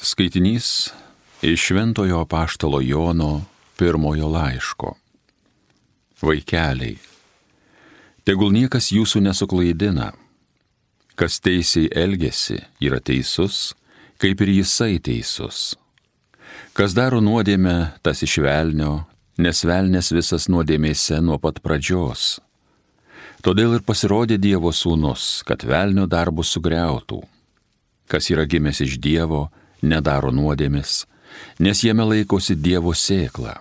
Skaitinys iš Šventojo apaštalo Jono pirmojo laiško. Vaikeliai, tegul niekas jūsų nesuklaidina. Kas teisiai elgiasi, yra teisus, kaip ir jisai teisus. Kas daro nuodėmę, tas iš velnio, nes velnės visas nuodėmėse nuo pat pradžios. Todėl ir pasirodė Dievo sūnus, kad velnio darbus sugriautų. Kas yra gimęs iš Dievo, nedaro nuodėmės, nes jame laikosi Dievo sėkla.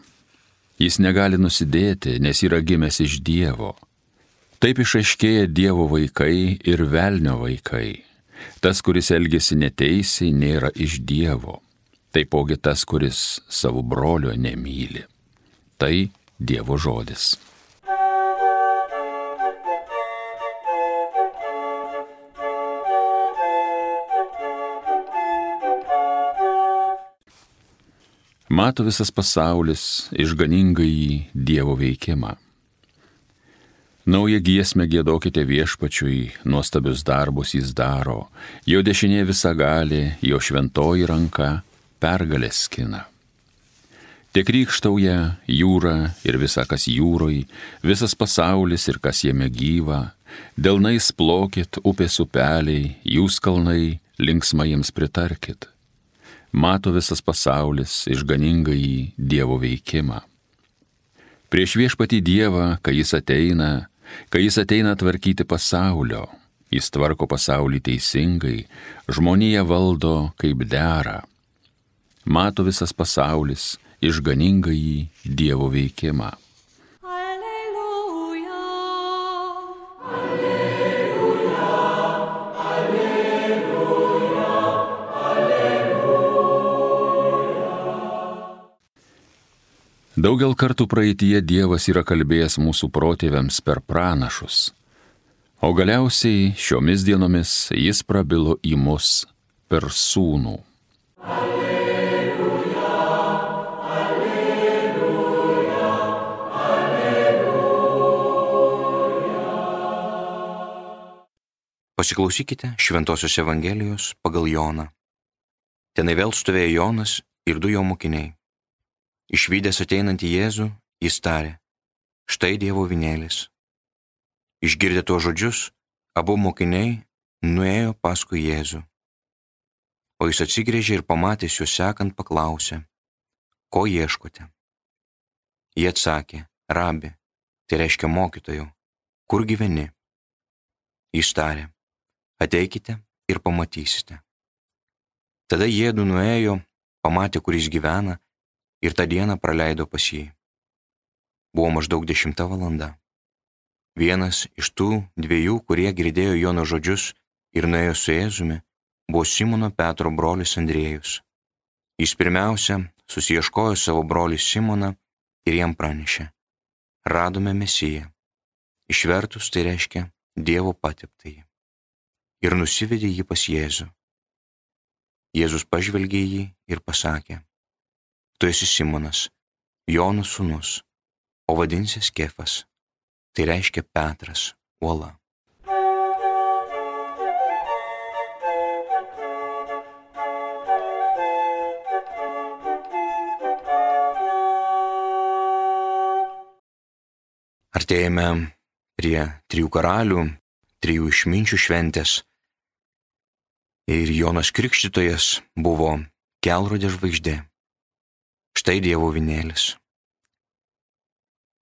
Jis negali nusidėti, nes yra gimęs iš Dievo. Taip išaiškėja Dievo vaikai ir velnio vaikai. Tas, kuris elgiasi neteisiai, nėra iš Dievo. Taipogi tas, kuris savo brolio nemyli. Tai Dievo žodis. Mato visas pasaulis išganingąjį Dievo veikimą. Naują giesmę giedokite Viešpačiui, nuostabius darbus jis daro, jo dešinė visagalė, jo šventoji ranka pergalę skina. Te krykštauja jūra ir visa, kas jūroj, visas pasaulis ir kas jame gyva, delnais plokit upės upeliai, jūs kalnai, linksmai jiems pritarkit. Mato visas pasaulis išganingąjį Dievo veikimą. Prieš Viešpatį Dievą, kai jis ateina tvarkyti pasaulio, jis tvarko pasaulį teisingai, žmoniją valdo kaip dera. Mato visas pasaulis išganingąjį Dievo veikimą. Daugel kartų praeityje Dievas yra kalbėjęs mūsų protėviams per pranašus, o galiausiai šiomis dienomis jis prabilo į mus per sūnų. Alleluja, alleluja, alleluja. Pasiklausykite Šventosios Evangelijos pagal Joną. Tenai vėl stovėjo Jonas ir du jo mokiniai. Išvydęs ateinantį Jėzų, jis tarė: štai Dievo avinėlis. Išgirdę tuos žodžius, abu mokiniai nuėjo paskui Jėzų. O jis atsigręžė ir pamatęs juos sekant paklausė: ko ieškote? Jie atsakė: rabi, tai reiškia mokytojau, kur gyveni? Jis tarė: ateikite ir pamatysite. Tada jiedu nuėjo, pamatė, kur jis gyvena, ir tą dieną praleido pas jį. Buvo maždaug 10 valanda. Vienas iš tų dviejų, kurie girdėjo Jono žodžius ir nuėjo su Jėzumi, buvo Simono Petro brolis Andriejus. Jis pirmiausia susiieškojo savo brolį Simoną ir jam pranešė: radome Mesiją. Išvertus tai reiškia Dievo pateptąjį. Ir nusivedė jį pas Jėzų. Jėzus pažvelgė į jį ir pasakė: tu esi Simonas, Jono sūnus, o vadinsies Kefas, tai reiškia Petras, uola. Artėjame prie 3 karalių, 3 išminčių šventės. Ir Jonas Krikštytojas buvo kelrodė žvaigždė. Štai Dievo avinėlis.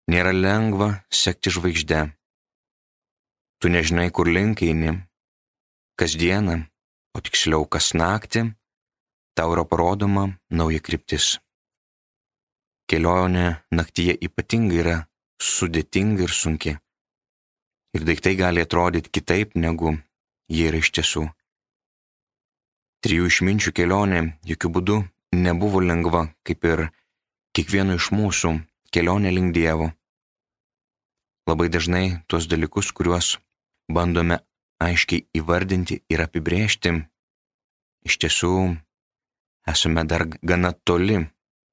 Nėra lengva sekti žvaigždę. Tu nežinai, kur link eini. Kasdieną, o tiksliau kas naktį, tau yra parodoma nauja kryptis. Kelionė naktyje ypatingai yra sudėtinga ir sunki. Ir daiktai gali atrodyti kitaip, negu jie yra iš tiesų. 3 išminčių kelionė jokių būdų nebuvo lengva, kaip ir kiekvieno iš mūsų kelionė link Dievo. Labai dažnai tuos dalykus, kuriuos bandome aiškiai įvardinti ir apibrėžti, iš tiesų esame dar gana toli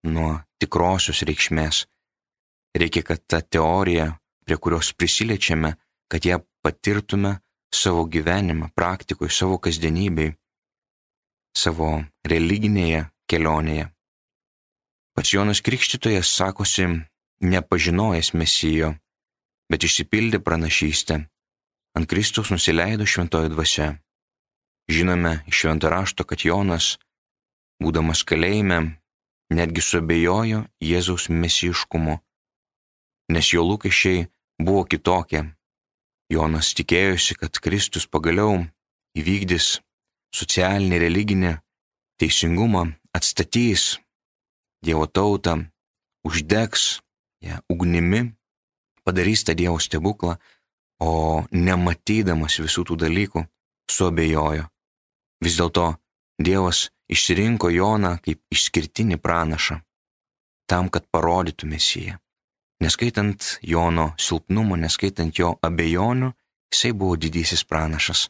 nuo tikrosios reikšmės. Reikia, kad ta teorija, prie kurios prisiliečiame, kad ją patirtume savo gyvenimą, praktikoje, savo kasdienybėje. savo religinėje kelionėje. Pats Jonas Krikštytojas sakosi nepažinojęs Mesijo, bet išsipildė pranašystę. Ant Kristaus nusileido šventoji dvasia. Žinome iš švento rašto, kad Jonas, būdamas kalėjime, netgi suabejojo Jėzaus mesijiškumu, nes jo lūkesčiai buvo kitokie. Jonas tikėjosi, kad Kristus pagaliau įvykdys socialinį, religinį teisingumą, atstatys Dievo tautą, uždegs ją ugnimi, padarys tą Dievo stebuklą, o nematydamas visų tų dalykų, suabejojo. Vis dėlto Dievas išsirinko Joną kaip išskirtinį pranašą, tam, kad parodytų Mesiją. Neskaitant Jono silpnumo, neskaitant jo abejonių, jisai buvo didysis pranašas.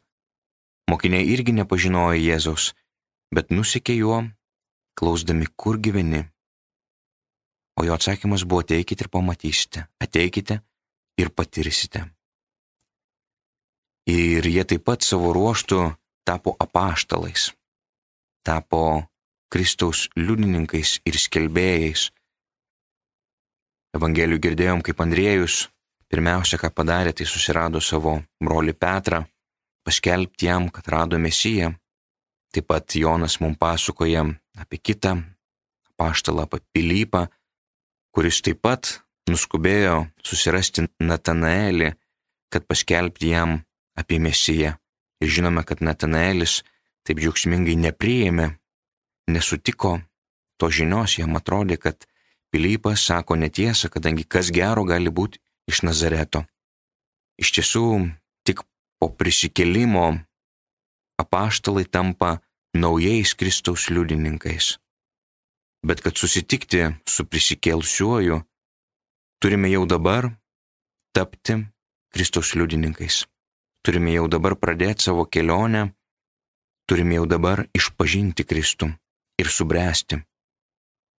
Mokiniai irgi nepažinojo Jėzaus, bet nusekė juo, klausdami, kur gyveni. O jo atsakymas buvo: ateikite ir pamatysite, ateikite ir patirsite. Ir jie taip pat savo ruožtu tapo apaštalais, tapo Kristaus liudininkais ir skelbėjais. Evangelijų girdėjom, kaip Andriejus pirmiausia, ką padarė, tai susirado savo brolį Petrą, paskelbti jam, kad rado Mesiją. Taip pat Jonas mums pasakoja apie kitą apaštalą, apie Pilypą, kuris taip pat nuskubėjo susirasti Natanaelį, kad paskelbti jam apie Mesiją. Ir žinome, kad Natanaelis taip džiaugsmingai nepriėmė, nesutiko to žinios, jam atrodė, kad Pilypas sako netiesą, kadangi kas gero gali būti iš Nazareto. Iš tiesų, tik po prisikėlimo apaštalai tampa naujais Kristaus liudininkais. Bet kad susitikti su prisikėlusiuoju, turime jau dabar tapti Kristaus liudininkais. Turime jau dabar pradėti savo kelionę, turime jau dabar išpažinti Kristų ir subręsti.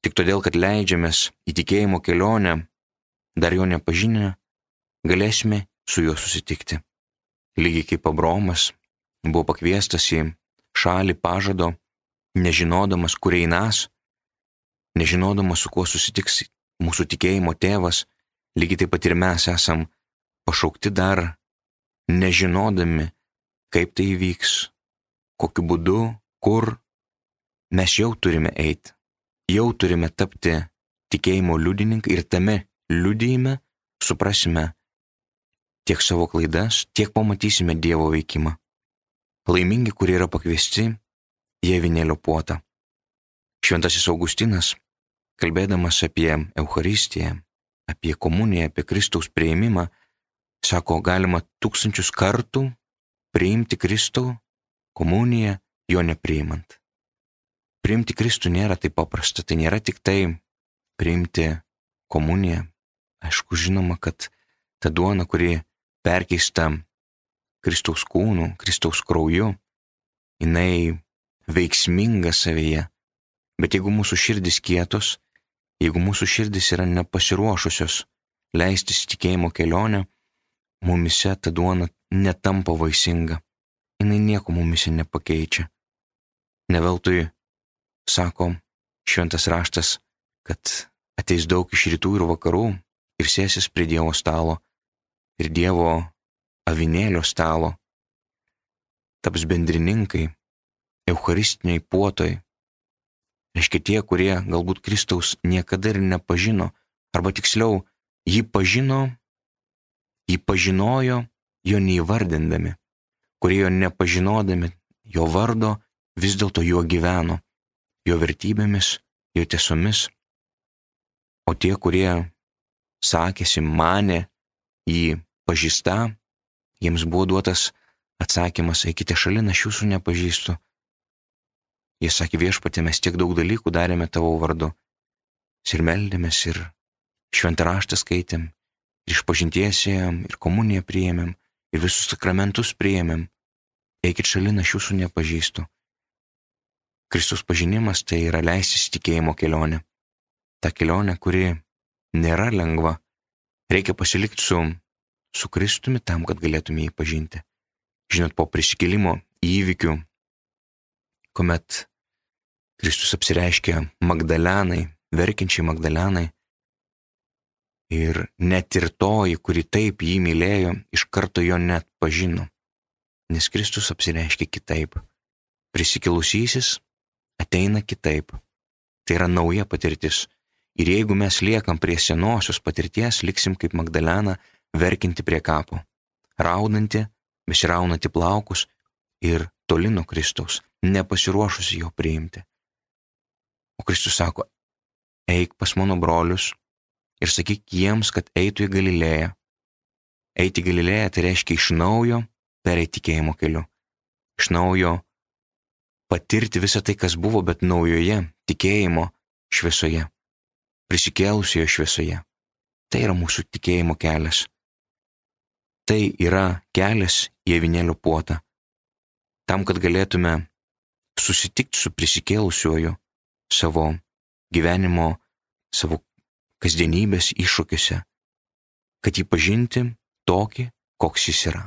Tik todėl, kad leidžiamės į tikėjimo kelionę, dar jo nepažinę, galėsime su juo susitikti. Lygiai kaip Abraomas buvo pakviestas į šalį pažado, nežinodamas, kur einas, nežinodamas, su kuo susitiks mūsų tikėjimo tėvas, lygiai taip pat ir mes esam pašaukti dar, nežinodami, kaip tai įvyks, kokiu būdu, kur mes jau turime eiti. Jau turime tapti tikėjimo liudininkai ir tame liudijime suprasime tiek savo klaidas, tiek pamatysime Dievo veikimą. Laimingi, kurie yra pakviesti į avinėlio puotą. Šventasis Augustinas, kalbėdamas apie Eucharistiją, apie komuniją, apie Kristaus priėmimą, sako, galima 1000 kartų priimti Kristų komuniją, jo nepriimant. Priimti Kristų nėra taip paprasta, tai nėra tik tai priimti komuniją. Aišku, žinoma, kad ta duona, kuri perkeista Kristaus kūnu, Kristaus krauju, jinai veiksminga savyje. Bet jeigu mūsų širdis kietos, jeigu mūsų širdis yra nepasiruošusios leistis į tikėjimo kelionę, mumise ta duona netampa vaisinga. Jinai nieko mumise nepakeičia. Neveltui sako šventas raštas, kad ateis daug iš rytų ir vakarų ir sėsis prie Dievo stalo ir Dievo avinėlio stalo, taps bendrininkai, eucharistiniai puotoj. Reiškia tie, kurie galbūt Kristaus niekada ir nepažino, arba tiksliau, jį pažinojo, jo neįvardindami, kurie jo nepažinodami, jo vardo, vis dėlto juo gyveno, jo vertybėmis, jo tiesomis. O tie, kurie sakėsi, manė jį pažįstą, jiems buvo duotas atsakymas, eikite šalin, aš jūsų nepažįstu. Jie sakė, Viešpatie, mes tiek daug dalykų darėme tavo vardu. Ir meldėmės, ir šventą raštą skaitėm, ir išpažinties ėjom, ir komuniją priėmėm, ir visus sakramentus priėmėm. Eikit šalin, aš jūsų nepažįstu. Kristus pažinimas tai yra leistis tikėjimo kelionė. Ta kelionė, kuri nėra lengva. Reikia pasilikti su Kristumi tam, kad galėtume jį pažinti. Žinot, po prisikėlimo įvykių, kuomet Kristus apsireiškė Magdalenai, verkiančiai Magdalenai. Ir net ir toji, kuri taip jį mylėjo, iš karto jo net pažino. Nes Kristus apsireiškė kitaip. Prisikilusysis ateina kitaip. Tai yra nauja patirtis. Ir jeigu mes liekam prie senosios patirties, liksim kaip Magdalena, verkinti prie kapo, raudanti, besiraunanti plaukus ir toli nuo Kristaus, nepasiruošusi jo priimti. O Kristus sako, eik pas mano brolius ir sakyk jiems, kad eitų į Galilėją. Eiti į Galilėją tai reiškia iš naujo pereiti tikėjimo keliu. Iš naujo patirti visą tai, kas buvo, bet naujoje tikėjimo šviesoje. Prisikėlusioje šviesoje. Tai yra mūsų tikėjimo kelias. Tai yra kelias į avinėlio puotą. Tam, kad galėtume susitikti su prisikėlusiuoju savo gyvenimo, savo kasdienybės iššūkiuose, kad jį pažinti tokį, koks jis yra.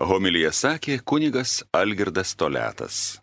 Homiliją sakė kunigas Algirdas Toliatas.